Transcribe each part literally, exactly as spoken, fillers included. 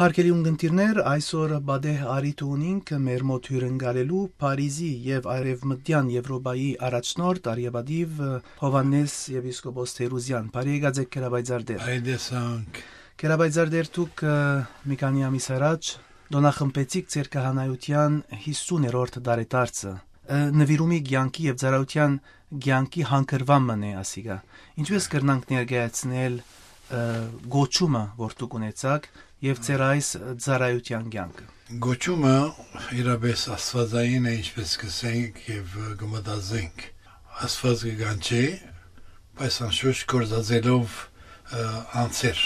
Հարգելի ունգընտիրներ, այսօր պատեհ առիթ ունինք մեր մոտ հիւրընկալելու Փարիզի եւ Արեւմտեան Եւրոպայի առաջնորդ արիապատիւ Յովհաննէս եպիսկոպոս Թերուզեան։ Բարի եկած եք, Գերապայծառ Տեր։ Բարի տեսանք։ Գերապայծառ Տեր, դուք, ը, մի քանի ամիս առաջ տօնախմբեցիք ձեր քահանայութեան յիսուներորդ տարեդարձը։ Ը, նուիրումի կեանքի եւ ծառայութեան կեանքի հանգրուան մըն է ասիկա։ Ինչպէս կրնանք ներկայացնել, ը, կոչումը, որ դուք ունեցաք, եւ ձեր այս ծառայութեան կեանքը։ Գոչումը իրապէս աստուածային է, ինչպէս կ'ըսենք եւ կը մտածենք։ Աստուած կը կանչէ, բայց անշուշտ գործածելով, ը, անձեր։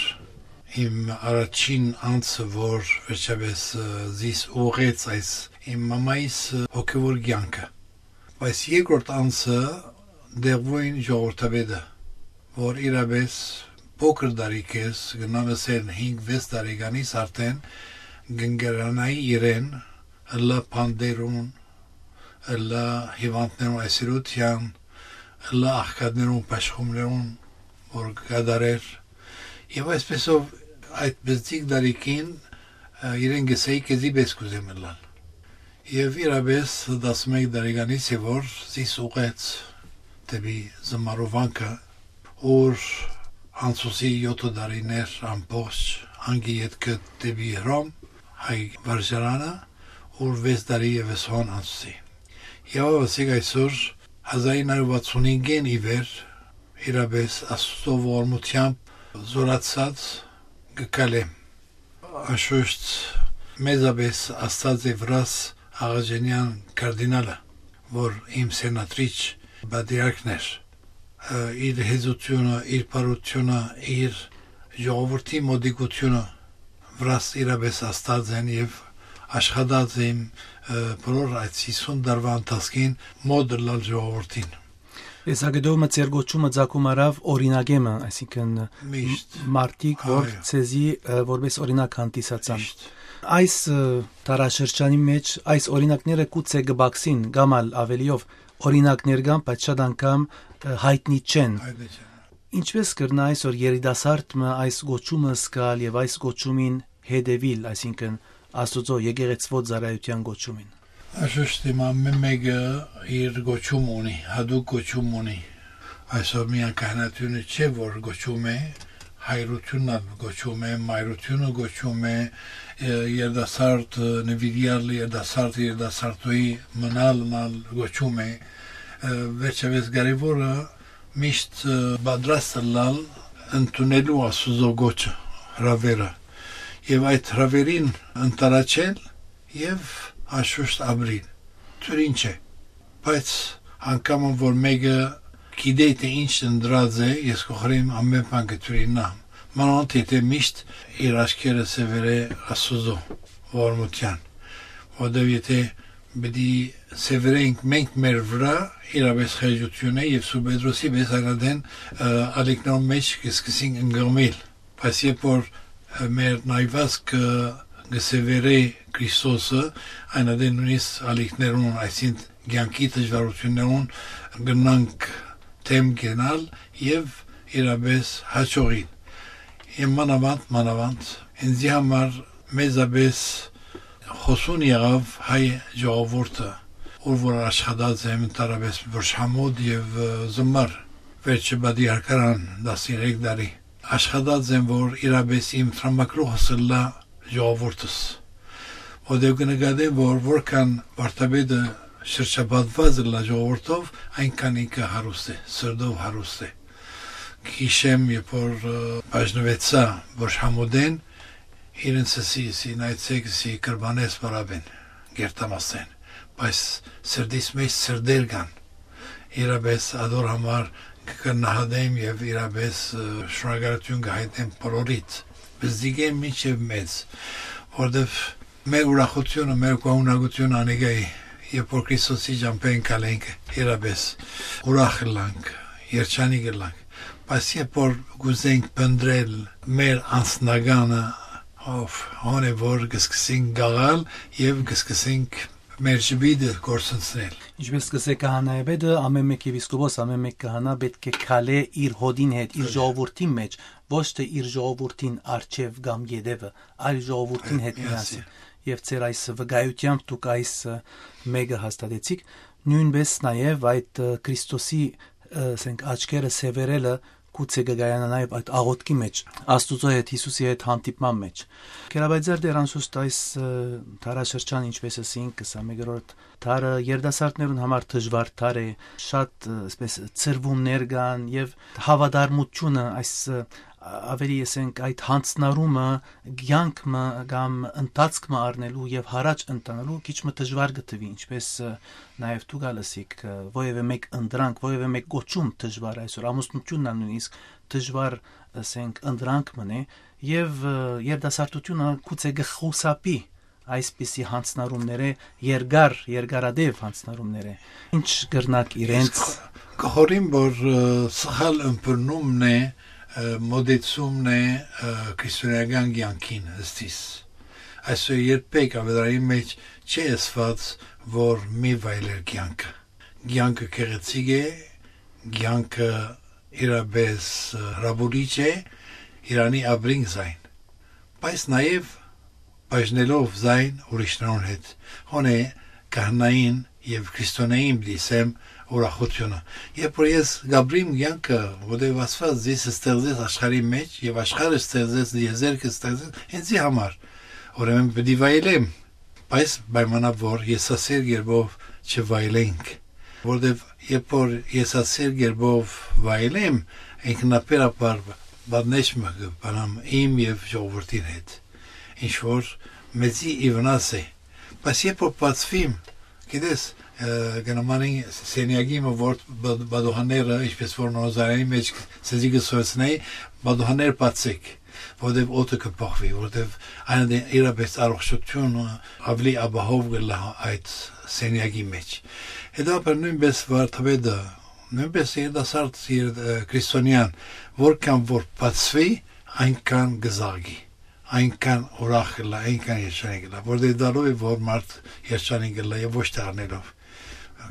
Իմ առաջին անձը, որ վերջապէս, ը, զիս ուղղեց այս իմ մամայիս, ը, հոգեվոր կեանքը։ Բայց երկրորդ անձը դեղուին ժողովրդապետը, որ իրապէս փոքր տարիքէս, կրնամ ըսել հինգ վեց տարեկանից արդէն կ'ընկերանայի իրեն, ըլլայ բանտերուն, ըլլայ հիւանդներուն այցելութեան, ըլլայ աղքատներուն, բաշխումներուն, որ կը կատարէր։ Եւ այսպեսով այդ բզդիկ տարիքին, ը, իրեն կ'ըսէի, «Քեզի պէս կ'ուզեմ ըլլալ»։ Եւ իրապէս տասնմեկ տարեկանից է, որ զիս ուղղեց դէպի Զմարովանքը, ուր անցուցի յոթը տարիներ ամբողջ անկի ետքը դէպի Հռոմ, հայ վարժարանը, ուր վեց տարի եւս հոն անցուցի։ Եւ ասենք այսօր, հազար ինը հարիւր վաթսուն հինգէն ի վեր, իրապէս Աստուծոյ ողորմութեամբ զօրացած կը քալեմ։ Անշուշտ մեծապէս աստած է Վրաս Աղաջանեան կարդինալը, որ իմ սենատրիչ պատրիարքն էր։ Ը, իր հեզությունը, իր բարությունը, իր ժողովրդի մոտիկությունը Վրաս իրապէս աստած են եւ աշխատած իմ, ը, բոլոր այդ յիսուն տարուա ընթացքին մոտ ըլլալ ժողովրդին։ Տեսակետով մը ձեր գոչումը ծագում առաւ օրինակէ մը, այսինքն Միշտ։ մարդիկ, որ Այո։ Ձեզի, ը, որպես օրինակ հանդիսացան։ Միշտ։ Այս, ը, տարաշրջանի մեջ այս օրինակները գուցե կը բացին կամ ալ ավելիով օրինակներ կան, բայց շատ անգամ, ը, յայտնի չեն։ Հայտնի չեն։ Ինչպէս կրնայ այսօր երիտասարդ մը այս գոչումը զգալ եւ այս գոչումին հետեւիլ, այսինքն Աստուծոյ եկեղեցւոյ ծառայութեան գոչումին։ Անշուշտ իմ ամէն մէկը իր գոչում ունի, յատուկ գոչում ունի։ Այսօր միայն քահանայութիւնը չէ, որ գոչում է, հայրութիւնն ալ գոչում է, մայրութիւնը գոչում է, ը, երիտասարդ, ը, նուիրեալ երիտասարդ, երիտասարդուհի մնալ, մնալ գոչում է։ Ը, վերջապէս կարեւորը միշտ, ը, պատրաստ ըլլալ ընդունելու Աստուծոյ գոչը, հրաւէրը, եւ այդ հրաւէրին ընդառաջել եւ անշուշտ ապրիլ։ Դուր ինչ է, բայց անկամը որ մէկը գիտէ, թէ ինչ ընտրած է, ես կ'ուղղեմ ամէն բան կը դուրինամ, մանաւանդ եթէ միշտ իր աչքերը սեւեռէ Աստուծոյ ողորմութեան, որովհետեւ եթէ պիտի սեւեռենք մենք մեր վրայ, իրապէս խեղճութիւն է, եւ Սուրբ Պետրոսի պէս այն ադեն, ը, ալիքներուն մէջ կը սկսենք ընկղմիլ, բայց երբ որ, ը, մեր նայվածքը կը սեւեռէ Քրիստոսը, այն ադեն նոյնիսկ ալիքներուն, այսինքն կեանքի դժուարութիւններուն, կրնանք դէմ գնալ եւ իրապէս յաջողին։ Եւ մանաւանդ, մանաւանդ, ինձի համար մեծապէս խոցուն եղաւ հայ ժողովուրդը, ուր որ աշխատած եմ ընդհանրապէս Վրշամոտ եւ, ը, Զմար, վերջը պատրիարքարան տասներեք տարի։ Աշխատած եմ, որ իրապէս իմ տրամագլուխս ըլլայ ժողովուրդս, որտեղ կը նկատեմ, որ որքան վարդապետը շրջապատված ըլլայ ժողովուրդով, այնքան ինքը հարուստ է, սրտով հարուստ է։ Գիշեմ, երբ որ, ը, բաժնուեցայ Վրշամոտէն, իրենց ըսի, ըսի, նայեցեք, ըսի, կրբանես պարապեն, գերտամասեն, բայց սրտիս մեջ սրտեր կան։ Իրապէս ադոր համար կը գնահատեմ եւ իրապէս, ը, շնորհակալութիւն կը հայտնեմ բոլորիդ, բզդիկէն մինչեւ մեծ, որտեւ մեր ուրախությունը, մեր գոհունակությունը անիկա է, երբ որ Քրիստոսի ճամբեն գալենք, իրապէս ուրախ ըլլանք, երջանիկ ըլլանք, բայց երբ որ կ'ուզենք փնտռել մեր անձնականը, ով հոն է որ կը սկսենք գաղալ եւ կը սկսենք Մեր ժպիտը կորսնցնել։ Ինչպես կ'ըսէ քահանայապետը, ամէն մէկ եպիսկոպոս, ամէն մէկ քահանայ պէտք է քալէ իր հօդին հետ, իր Այո։ ժողովուրդին մէջ, ոչ թէ իր ժողովուրդին առջեւ կամ ետեւը, այլ ժողովուրդին Այո, հետ միասին։ միասին։ Եւ ձեր այս վկայութեամբ դուք այս, ը, մէկը հաստատեցիք, նոյնպէս նաեւ այդ, ը, Քրիստոսի, ը, ասենք, աչքերը սեւեռելը գուցե կը կայանայ նաեւ այդ աղօթքի մէջ, Աստուծոյ հետ, Յիսուսի հետ հանդիպման մէջ։ Քերաբայձար դեր անշուշտ այս, ը, դարաշրջան, ինչպես ըսինք, քսանմեկերորդ դարը երիտասարդներուն համար դժուար դար է, շատ, ը, այսպես, ցրուումներ կան եւ հաւատարմութիւնը, այս, ը, ավելի, ասենք, այդ յանձնառումը, կեանք մը կամ ընթացք մը առնելու եւ յառաջ ընթանալու քիչ մը դժուար կը թուի, ինչպես, ը, նաեւ դուք ալ ըսիք, ը, որեւէ մէկ ընտրանք, որեւէ մէկ կոչում դժուար այսօր, ամուսնութիւնն ալ նոյնիսկ դժուար, ասենք, ընտրանք մըն է, եւ, ը, երիտասարդութիւնը գուցե կը խուսափի այսպիսի յանձնառումներէ երկար, երկարատեւ յանձնառումներէ։ Ինչ կրնաք իրենց Ես կը խորհեմ, որ, ը, սխալ ըմբռնումն է, ը, մոտեցումն է, ը, քրիստոնեական կեանքին ըստ իս։ Այսօր երբեք աւետարանին մէջ չի ըսուած, որ մի վայելեր կեանքը։ Կեանքը գեղեցիկ է, կեանքը իրապես, ը, հրապուրիչ է, իրանի ապրինք զայն, բայց նաեւ բաժնելով զայն ուրիշներուն հետ։ Հոն է քահանային եւ քրիստոնեային պիտի սեմ ուրախութիւնը։ Երբ որ ես կապրիմ կեանքը, որտեղ Աստված զիս ստեղծեց աշխարհի մէջ եւ աշխարհը ստեղծեց, եզերքը ստեղծեց ինձի համար, ուրեմն պիտի վայելեմ, բայց պայմանով որ եսասեր կերպով չվայելենք, որտեղ երբ որ եսասեր կերպով վայելեմ, ինքնաբերաբար պատնեշ մը կը բանամ իմ եւ ժողովուրդին հետ, ինչ որ մեզի ի վնաս է, բայց երբ որ բացվիմ, գիտես, ը, կը նմանին սենյակի մը, որ բ-, պատուհանները, ինչպես որ նորոզարանի մէջ սեզի կը սորցնեի, պատուհաններ բացեք, որտեւ օդը կը փոխուի, որտեւ այն դե իրապես առողջությունը ավելի ապահով կ'ըլլայ այդ սենյակի մէջ։ Հետո նոյնպես վարդապետը, նոյնպես երիտասարդ եր-, ը, քրիստոնեան, որքան որ բացուի, այնքան կը զաղկի, այնքան ուրախ կ'ըլլայ, այնքան երջանիկ կ'ըլլայ, որտեւ դալով է որ մարդ երջանիկ կ'ըլլայ եւ ոչ թե առնելով։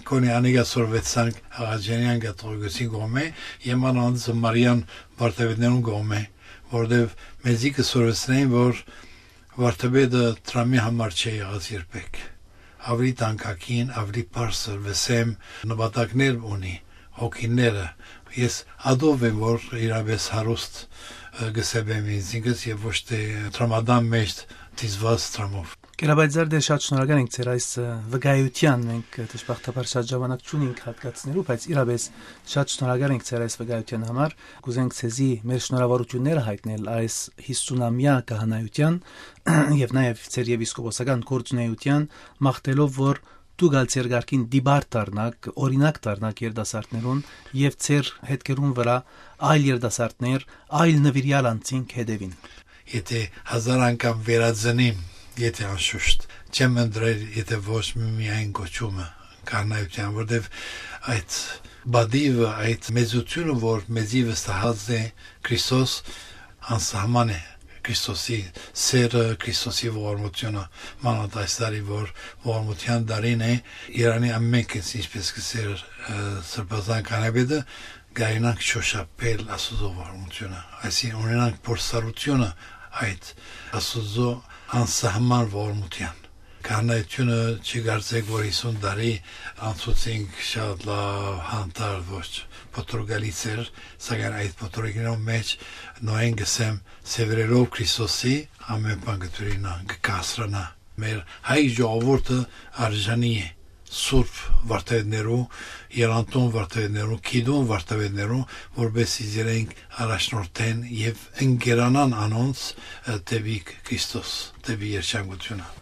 Քոնի անիկա սորվեցանք Աղաջանեան կաթողիկոսի կողմէ, եւ անոնց Մարիան վարդապետներուն կողմէ, որտեւ մեզի կը սորվեցնեն, որ վարդապետը դրամի համար չէ եղած երբեք։ Ավելի տանկագին, ավելի բարձր, վսեմ նպատակներ ունի, հոգիները։ Ես ադով եմ, որ իրապես հարուստ, ը, կը սեպեմ ինձինքս եւ ոչ թե դրամատան մէջ դիզված դրամով։ Կերաբայձար դեր շատ շնորհակալ ենք ձեր այս, ը, վկայութեան, մենք, ը, դժբախտաբար շատ ժամանակ չունենք հատկացնելու, բայց իրապես շատ շնորհակալ ենք ձեր այս վկայութեան համար։ Կուզենք ձեզի մեր շնորհավորութիւնները յայտնել այս յիսունամեայ քահանայութեան եւ նաեւ ձեր եպիսկոպոսական գործունեութեան, մաղթելով որ դուք ալ ձեր կարգին տիպար դառնաք, օրինակ դառնաք երիտասարդներուն եւ ձեր հետքերուն վրայ այլ երիտասարդներ, այլ նուիրեալ անձինք հետեւին։ Եթե հազար անգամ վերածնիմ, եթե անշուշտ, չեմ ընտրեր, եթե ոչ մի-, միայն կոչումը քահանայութեան, որտեւ այդ բադիվը, այդ մեծությունը, որ մեզի վստահած է Քրիստոս, անսահման է։ Քրիստոսի սերը, Քրիստոսի ողորմությունը, մանավանդ այս տարի, որ ողորմութեան տարին է, Իրանի ամէնքս, ինչպես կ'ըսէր, ը, Սրբազան քահանայապետը, կայնանք շոշափել Աստուծոյ ողորմութիւնը, այսինքն ունենանք փորձառութիւնը այդ Աստուծոյ անսահման ողորմութեան։ Քահանայութիւնը չի կարծեք, որ յիսուն տարի անցուցինք շատ լաւ, հանդարտ, ոչ փոթորկալից էր, սակայն այդ փոթորկներուն մէջ նոյեն կ'ըսեմ, սեւեռելով Քրիստոսի, ամէն բան կը դիւրինայ, կը կասրանայ։ Մեր հայ ժողովուրդը արժանի է սուրբ վարդապետներու, եռանդուն վարդապետներու, գիտուն վարդապետներու, որպեսզի իրենք առաջնորդեն եւ ընկերանան անոնց, ը, դեպի Քրիստոս, դեպի երջանկութիւնը։